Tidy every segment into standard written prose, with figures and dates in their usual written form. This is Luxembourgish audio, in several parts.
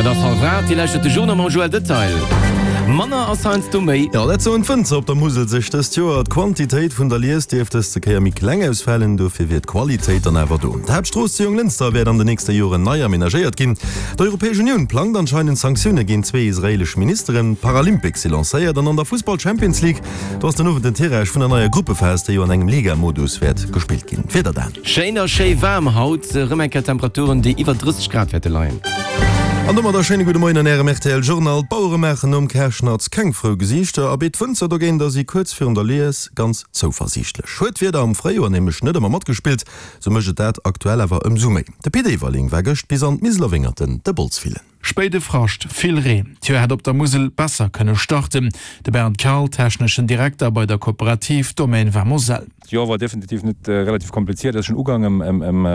Et ass hallef 8, Dir lauschtert de Journal mam Joël Detail. Manner ass heiansdo méi. Jo, dat soen d'Wënzer op der Musel sech dëst Joer. D'Quantitéit vun der Lies dierft dëste Kéier méi kleng ausfalen, dofir wier d'Qualitéit dann awer do. D'Haaptstrooss zu Jonglënster wäert an den nächste Joren nei amenagéiert ginn. D'Europäesch Unioun plangt anscheinend Sanktioune géint zwee israeelesch Ministeren. D'Paralympics si lancéiert an an der Fussball-Champions League, do ass den Owend den Tirage vun der neier Gruppephas, déi jo an engem Liga-Modus wäert gespillt ginn. D'Wieder Dan. Schéin a schéi waarm haut, erëm eng Kéier Temperaturen, déi iwwer 30 Grad wäerte leien. An domat e schéine gudde Moien an Ärem rtl Journal. D'Bauere maachen nom Karschnatz keng frou Gesiichter, abee d'Wënzer dogéint si kuerz virun der Lies ganz zouversiichtlech. Huet d'Wieder am Fréijoer nämlech net ëmmer matgespillt, sou mécht et dat aktuell awer ëmsou méi. De Pit Everling war gëscht bis an d'Miseler Wéngerten de Bols fillen. Spéide Frascht, vill Reen, d'Joer hätt op der Musel besser kënne starten. De Bernd Karl, techneschen Direkter bei der Kooperativ Domaine Vin Moselle. D'Joer war definitiv net relativ kompliziert. Et ass schonn ugaang em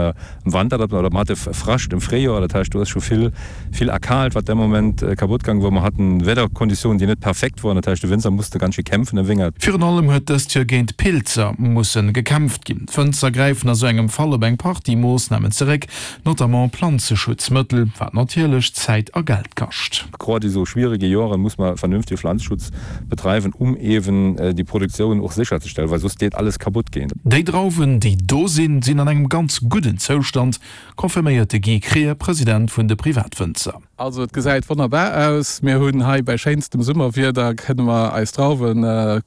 Wanter, oder mer hate Frascht em Fréijoer, dat heischt do ass scho vill vill erkaalt wat de Moment kaputt gaang wor. Mer haten Wiederkonditiounen déi net perfekt woren, dat heischt de Wënzer musste ganz schéi kämpfen am Wéngert. Virun allem huet dëst Joer géint Pilzer mussen gekämpft ginn. D'Wënzer gräifen a sou engem Fall op eng Partie Moossnamen zeréck, notamment Planzeschutzmëttel, wat natierlech Zäit a Geld kascht. Grad i sou schwierige Joren muss mer vernünftige Pflanzschutz betreiwen, um ewen déi Produktioun och sécherzestellen, well soss deet alles kaputt geen. Déi Drauwen, déi do sinn, sinn an engem ganz gudden Zoustand, confirméiert de Guy Krier, President vun de Privatwënzer. Also et gesäit wonnerbar aus. Mir hunn hei bei schéinstem Summerwieder kënne mer eis Drauwe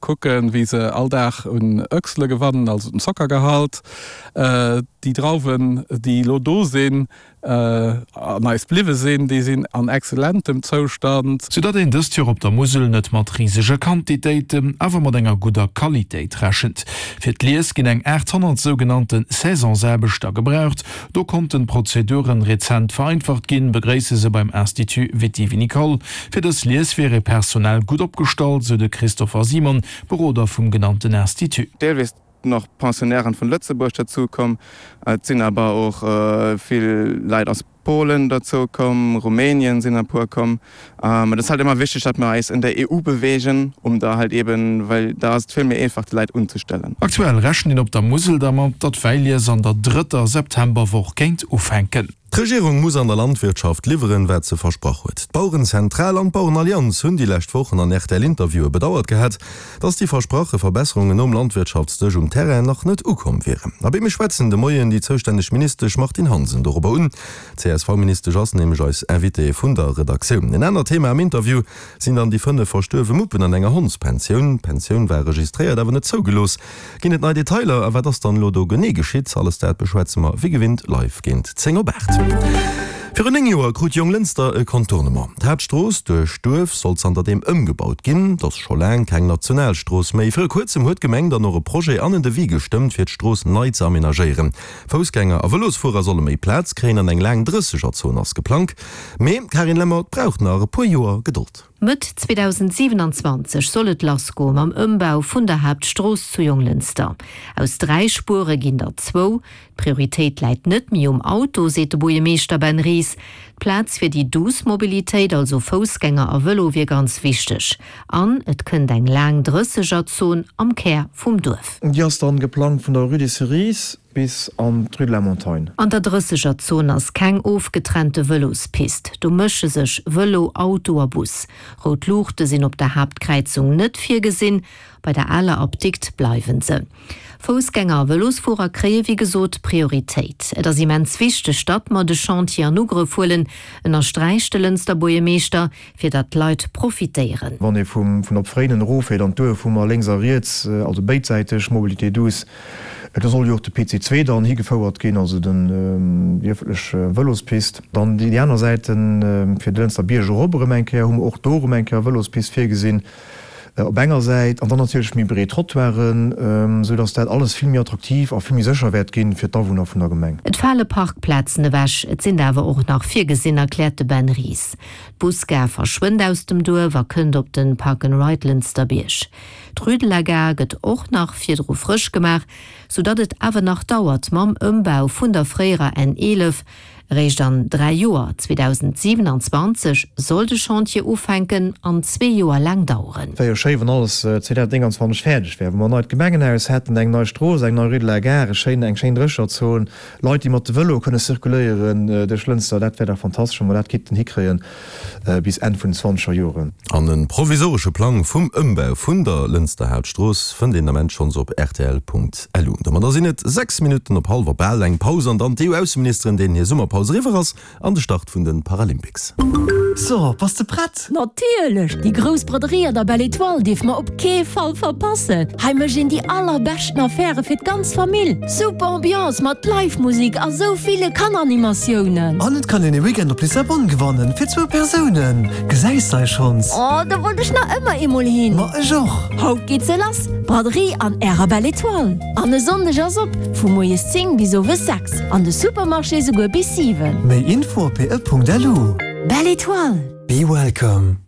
kucken, wéi se all Dag un Öchsele gewannen, also den Zockergehalt. Déi Drauwen, déi elo do sinn an eis bliwwe sinn, déi sinn an exzellentem Zoustand. Soudatt een dëst Joer op der Musel net mat risege Quantitéiten, awer mat enger gudder Qualitéit rechent. Fir d'Lies ginn eng 800 sougenannte Saisonsaarbechter gebraucht. Do konnten d'Prozeduren rezent vereinfacht ginn, begréisse se beim Institut Viti-Vinicole. Fir dës Lies wier ee personell gutt opgestallt, sou de Christopher Simon, Beroder vum genannten Institut. Deelweis nach Pensionnairen vun Lëtzebuerg derzou komm. Et sinn awer och vill Leit aus Polen derzou komm, Rumänien sinn e puer komm. Et ass halt ëmmer wichteg, datt mer eis en der EU bewegen, um da halt eben, well da ass et vill méi einfach déi Leit unzestellen. Aktuell rechent een op der Musel dermat, datt d'Wäilies an der drëtter Septemberwoch kéint ufänken. D'Regierung muss an der Landwirtschaft liwweren, wat se versprach huet. D'Bauerenzentral an d'Bauerenallianz hunn déi lescht Wochen an RTL-Interviewe bedauert gehat, datt déi versprache Verbesserungen nom Landwirtschaftsdësch um Terrain nach net ukomm wieren. Abee, mir schwätzen de Moien déi zoustänneg Ministesch Martine Hansen dorobber un. D'CSV-Ministesch ass nämlech eis Invitée vun der Redaktioun. En anert Thema am Interview sinn dann déi 5 verstuerwe Muppen an enger Hondspensioun. D'Pensioun war registréiert, awer net zougelooss. Ginn et nei Detailer a wat ass dann elo do genee geschitt? Alles dat beschwätze mer wéi gewinnt live géint 10 op 8. Virun 9 Joer krut Jonglënster e Contournement. D'Haaptstrooss duerch d'Duerf soll zanter deem ëmgebaut ginn. Et ass scho laang keng Nationalstrooss méi. Viru kuerzem huet d'Gemeng dann och e Projet an en Devis gestëmmt fir d'Strooss nei ze amenagéieren. Foussgänger a Vëlosfuerer solle méi Plaz kréien an eng laang Drëssegerzon ass geplangt. Mee, Carine Lemmer, et brauch nach e puer Joer Gedold. Mëtt 2027 soll et lassgoe mam Ëmbau vun der Haaptstrooss zu Jonglënster. Aus 3 Spuere ginn der zwou. D'Prioritéit läit net méi um Auto, seet de Buergermeeschter Ben Ries. D'Plaz fir déi douce Mobilitéit, also Foussgänger a Vëlo, wier ganz wichteg. An et kënnt eng laang Drëssegerzon am Kär vum Duerf. Déi ass dann geplangt vun der Rue des Cerises bis an d'Rue de la Montagne. An der Drëssegerzon ass keng ofgetrennte Vëlospist. Do mësche sech Vëlo, Auto a Bus. Rout Luuchte sinn op der Haaptkräizung net virgesinn, bei der aler Apdikt bleiwen se. Foussgänger a Vëlosfuerer kréie wéi gesot Prioritéit. Et ass immens wichteg, datt mer de Chantier an Ugrëff huelen, ënnersträicht de Lënster Buergermeeschter, fir datt d'Leit profitéieren. Wann ee vun op Fréinen eroffiert an d'Duerf, hu mer lénks a riets, also béidsäiteg Mobilité douce. Do soll jo och de PC 2 dann higefouert ginn, also den, déi ëffentlech Vëlospist. Dann déi aner Säit, fir de Lënster Bierg erop erëm eng Kéier, hu mer och do erëm eng Kéier Vëlospist virgesinn op enger Säit. An dann natierlech méi breet Trottoiren, esou dass dat alles vill méi attraktiv a vill méi sécher wäert ginn fir d'Awunner vun der Gemeng. Et fale Parkplazen ewech, et sinn der awer och nach virgesinn, erkläert de Ben Ries. D'Busgare verschwënnt aus dem Duerf a kënnt op den Park and Ride Lënsterbierg. D'Rue de la Gare gëtt och nach virdru frësch gemaach, sou datt et awer nach dauert mam Ëmbau vun der fréierer N 11. Eréischt an 3 Joer, 2027, soll de Chantier ufänken an zwee Joer laang daueren. Wär jo schéi wann alles 2029 fäerdeg wär, wou mer en neit Gemengenhaus hätten, eng nei Strooss, eng nei Rue de la Gare, e schéin, eng schéin Drécherzon, Leit déi mat de Vëlo kënne zirkuléieren duerch Lënster. Dat wär dach fantastesch wa mer dat kinnten hikréien bis Enn vun den zwanzeger Joren. An e provisoresche Plang vum Ëmbau vun der Lënster Haaptstrooss fënnt een Ament schonns op rtl.lu. Domadder sinn et 6 Minutten op hallwer bal. Eng Paus an dann d'EU-Ausseministeren, deenen hir Summerpaus eriwwer ass, an de Start vun de Paralympics. So, bass de prett? Natierlech! Déi grouss Braderie an der Belle Etoile dierf mer op kee Fall verpassen! Hei mécht een déi allerbeschten Affäre fir d'ganz Famill. Super Ambiance mat Live-Musik a sou ville Kanneranimatiounen. An et kann een e Weekend op Lissabon gewannen, fir zwou Persounen. Gesäis dei schonns? Oh, do wollt ech nach ëmmer eemol hin! Ma ech och! Haut geet se lass, Braderie an ärer Belle Etoile. An e Sonndeg ass op, vu moies 10 bis owes 6, an de Supermarché souguer bis 7. Méi Info op be.lu. Belle Etoile! Be welcome!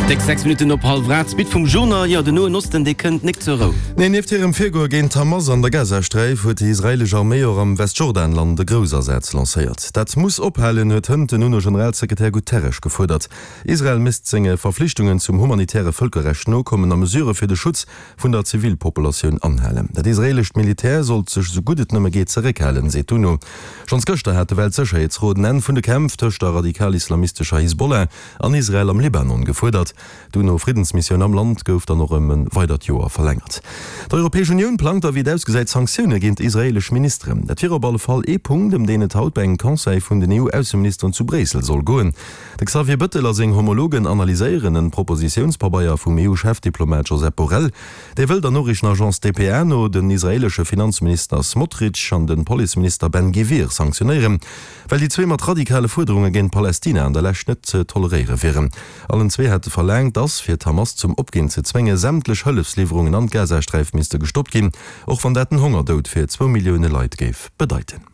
Déck 6 Minutten op hallwer 8, d'Suite vum Journal. Jo, den Noen Osten, dee kënnt nik zur Rou. Nee, nieft hirem Virgoe géint d'Hamas an der Gazasträif huet déi israeelesch Arméi och am Westjordanland e Groussasaz lancéiert. Dat muss ophalen, huet hënt den UNO-Generalsekretär Guterres gefuerdert. Israel misst senge Verflichtungen zum humanitäre Vëlkerrecht nokommen a Mesurë fir de Schutz vun der Zivilpopulatioun anhalen. Dat israeelescht Militär sollt sech esou gutt et nëmme geet zeréckhalen, seet d'UNO. Schonns gëschter hat de Weltsécherheetsrot en Enn vun de Kämpf tëscht der radikal-islamistescher Hisbollah an Israel am Libanon gefuerdert. D'UNO-Friddensmissioun am Land gouf dann och ëm e weidert Joer verlängert. D'Europäesch Unioun plangt da wéi et ausgesäit Sanktioune géint israeelesch Ministeren. Dat wier op alle Fall ee Punkt, ëm deen et haut bei engem Conseil vun den EU-Ausseministeren zu Bréissel soll goen. De Xavier Bëttel a seng Homologen analyséieren en Propositiounspabeier vum EU-Chefdiplomat Josep Borrell. Dee wëll der Noriichtenagence dpa no den israeelesche Finanzminister Smotrich an de Policeminister Ben Gvir sanktionéieren, well déi zwee mat radikale Fuerderunge géint Palästina an der Lescht net ze toleréiere wieren. Allen zwee hate verlaangt, datt, fir d'Hamas zum Opginn ze zwéngen, sämtlech Hëllefsliwwerungen an d'Gazasträif misste gestoppt ginn, och wann dat den Hongerdoud fir zwou Millioune Leit géif bedeiten.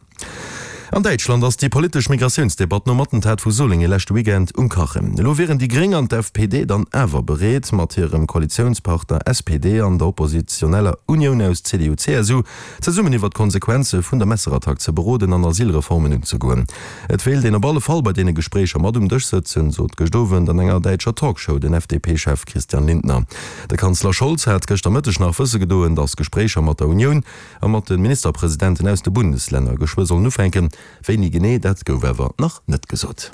An Däitschland ass déi politesch Migratiounsdebatt nom Attentat vu Solingen leschte Weekend um Kachen. Elo wieren déi Gréng an d'FPD dann awer bereet, mat hirem Koalitiounspartner SPD an der oppositioneller Unioun aus CDU-CSU zesummen iwwer d'Konsequenze vun der Messerattack ze beroden an Asylreformen unzegoen. Et wéilt een op alle Fall bei deene Gespréicher mat um Dësch sëtzen, sot gëscht Owend an enger däitscher Talkshow den FDP-Chef Christian Lindner. De Kanzler Scholz hat gëschter Mëtteg nach wësse gedoen, datt Gespréicher mat der Unioun a mat de Ministerpresidenten aus de Bundeslänner geschwë sollen ufänken. Wéini genee, dat gouf awer nach net gesot.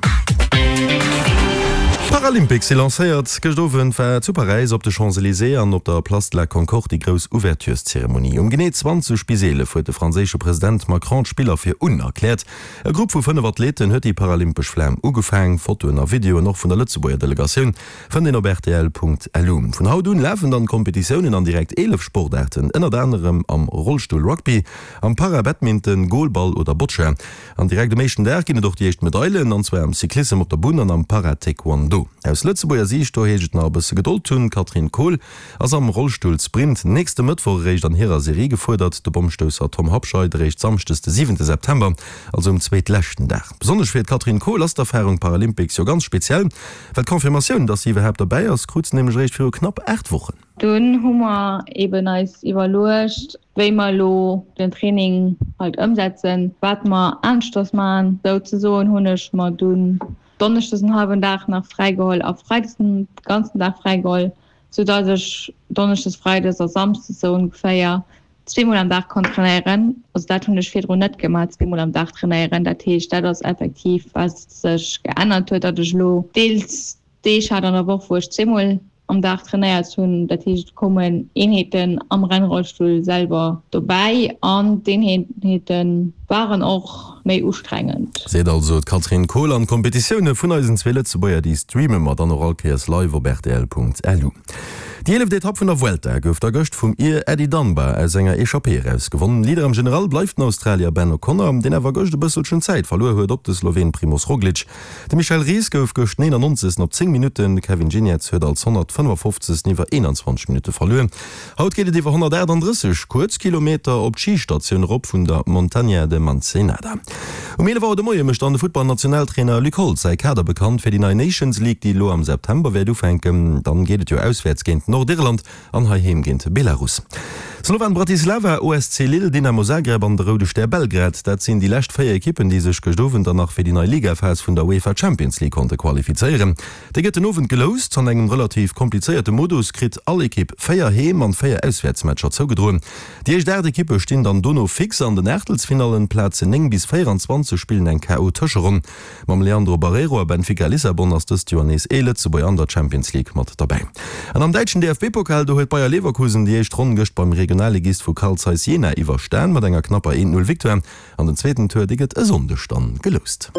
D'Paralympics si lancéiert. Gëscht Owend war zu Paräis op de Champs-Elysées an op der Place de la Concorde déi grouss Ouvertureszeremonie. Um genee 20 bis 11 huet de franséische President Macron d'Spiller fir un erkläert. E Grupp vu 5 Athleten huet déi paralympesch Flam ugefaang. Fotoen a Videoen och vun der Lëtzebuerger Delegatioun Fënnt een op rtl.lu. Vun haut un lafen dann d'Kompetitiounen an direkt 11 Sportaarten, ënnert anerem am Rollstull-Rugby, am Para-Badminton, Goalball oder Boccia. An direkt um éischten Dag ginn et och déi éischt Medailen, an zwar am Cyclissem op der Bunn an am Para-Taekwondo. Aus Lëtzebuerger Siicht, do heescht et nach e bësse Gedold hunn, D'Katrin Kohl ass am Rollstull-Sprint nächste Mëttwoch eréischt an hirer Serie gefuerdert, de Bommstousser Tom Habscheid eréischt Samschdes de siwente September, also um zweetleschten Dag. Besonnesch fir d'Katrin Kohl ass d'Erfarung Paralympics jo ganz speziell. Well d'Confirmatioun, dass si iwwerhaapt derbäi ass, krut se nämlech eréischt viru knapp 8 Wochen. Dunn hu mer eben eis iwwerluecht, wéi mer elo den Training halt ëmsetzen, wat mer aneschters maachen. Souzesoen hunn ech mer dunn donneschdes en hallwen Dag nach fräigeholl a freides den ganzen Dag fräigeholl, soudass ech donneschdes, freides a samsdes sou ongeféier zweemol am Dag konnt trainéieren. Also dat hunn ech virdrun net gemaach, zweemol am Dag trainéieren. Dat heescht, dat ass effektiv wat sech geännert huet, datt ech elo deels Deeg hat an der Woch, wou ech zweemol am Dag trainéiert hunn. Dat heescht, et koumen Eenheeten am Rennrollstull selwer dobäi an d'Eenheete waren och méi ustrengend. Seet also d'Katrin Kohl. An d'Kompetitioune vun eisen zwee Lëtzebuerger, déi streame mer dann och all Kéiers live op rtl.lu. Déi eeleft Etapp vun der Vuelta gouf da gëscht vum Ir Eddie Dunbar aus enger Echappée eraus gewonnen. Leader am General bleift den Australier Ben O'Connor, deen awer gëscht e bësselchen Zäit verluer huet op de Sloween Primoz Roglic. De Michel Ries gouf gëscht 99. op 10 Minutten, de Kevin Geniets huet als 155. iwwer 21 Minutte verluer. Haut geet et iwwer 138 kuerz Kilometer op d'Schistatioun erop vun der Montaña de Mancenada. Um 11 Auer de Moie mécht dann de Futtballnationaltrainer Luc Holtz säi Kader bekannt fir déi nei Nations League, déi elo am September wäert ufänken. Dann geet et jo auswäerts géint Nordirland an heiheem géint Belarus. Slovan Bratislava, OSC Lille, Dynamo Zagreb an de Roude Stär Belgrad, dat sinn déi lescht 4 Ekippen, déi sech gëscht Owend dann nach fir déi nei Ligaphas vun der UEFA Champions League konnte qualifizéieren. Déi gëtt den Owend geloust. An engem relativ komplizéierte Modus kritt all Ekipp 4 Heem an 4 Auswäertsmatcher zougedroen. Déi éischt 8 Ekippe stinn dann dono fix an den Aachtelsfinallen. D'Plazen 9 bis 24 spillen eng KO-Tëscheronn. Mam Leandro Barreiro a Benfica Lissabon ass dëst Joer nees ee Lëtzebuerger an der Champions League mat derbäi. An am däitschen DFB-Pokal, do huet Bayer Leverkusen déi éischt Ronn gëscht beim Regionalligist vu Carl Zeiss Jena iwwerstan mat enger knapper 1, 0 Victoire. An den zweeten Tour, dee gëtt e Sonndeg dann geloust.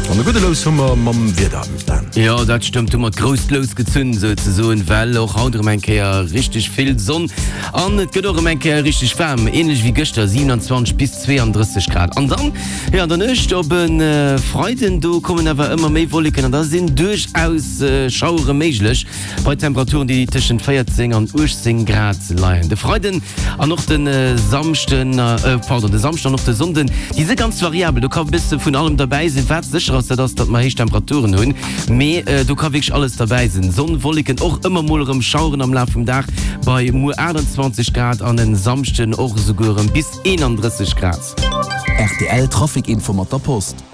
An e gudde Lous hu mer mam Wieder, Dan. Jo, dat stëmmt, hu mer d'grousst Lous gezunn souzesoen, well och haut erëm eng Kéier richteg vill Sonn an et gëtt och erëm eng Kéier richteg waarm, änlech wéi gëschter, 27 bis 32 Grad. An dann, jo, an der Nuecht op e Freiden, do kommen awer ëmmer méi Wolleken an da sinn duerchaus Schauere méiglech bei Temperaturen, déi tëschent 14 an 18 Grad leien. De Freiden an och de Samschden, pardon, de Samschden an och de Sonnden, déi si ganz variabel, do ka e bësse vun allem derbäi sinn. Wat sécher ass, dat ass, datt mer héich Temperaturen hunn, mee do ka wierklech alles derbäi sinn, Sonn, Wolleken, och ëmmer mol erëm Schaueren am Laf vum Dag bei muer 28 Grad an e Samschden och esouguer erëm bis 31 Grad. Rtl Trafic Info mat der Post.